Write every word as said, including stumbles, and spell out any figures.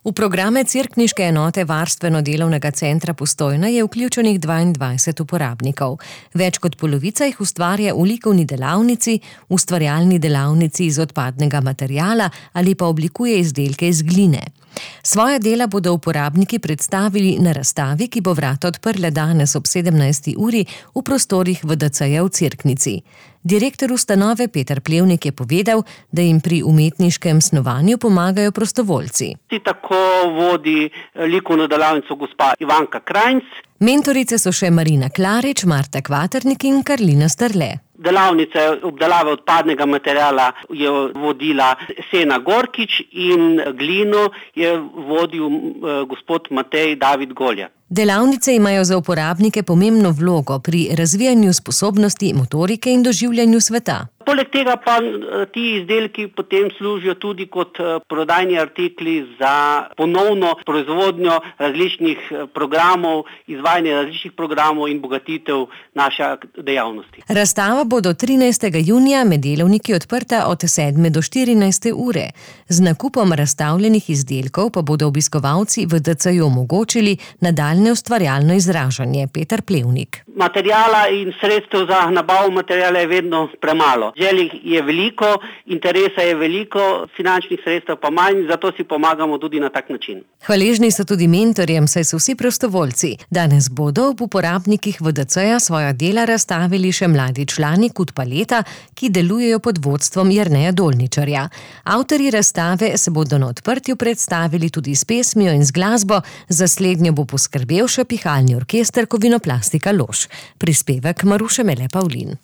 V programe Cerkniške enote Varstveno-delovnega centra Postojna je vključenih dvaindvajset uporabnikov. Več kot polovica jih ustvarja v likovni delavnici, ustvarjalni delavnici iz odpadnega materiala ali pa oblikuje izdelke iz gline. Svoja dela bodo uporabniki predstavili na razstavi, ki bo vrata odprla danes ob sedemnajsti uri v prostorih V D C-ja v Cerknici. Direktor ustanove Peter Plevnik je povedal, da jim pri umetniškem snovanju pomagajo prostovoljci. Tako vodi likovno delavnico gospa Ivanka Krajnc. Mentorice so še Marina Klarič, Marta Kvaternik in Karlina Strle. Delavnice obdelave odpadnega materiala je vodila Sena Gorkič in glino je vodil gospod Matej David Golja. Delavnice imajo za uporabnike pomembno vlogo pri razvijanju sposobnosti motorike in doživljanju sveta. Poleg tega pa ti izdelki potem služijo tudi kot prodajni artikli za ponovno proizvodnjo različnih programov, izvajanje različnih programov in bogatitev naše dejavnosti. Razstava bo do trinajstega junija med delovniki odprta od sedme do štirinajste ure. Z nakupom razstavljenih izdelkov pa bodo obiskovalci V D C-ju omogočili nadaljnje ustvarjalno izražanje. Peter Plevnik. Materijala in sredstev za nabavo materijala je vedno premalo. Želj je veliko, interesa je veliko, finančnih sredstev pa manj, zato si pomagamo tudi na tak način. Hvaležni so tudi mentorjem, saj so vsi prostovoljci. Danes bodo ob uporabnikih V D C-ja svoja dela razstavili še mladi člani Kut Paleta, ki delujejo pod vodstvom Jerneja Dolničarja. Avtorji razstave se bodo na odprtju predstavili tudi s pesmijo in z glasbo, za slednjo bo poskrbel še pihalni orkester Kovinoplastika Lož. Prispevek Maruše Mele Pavlin.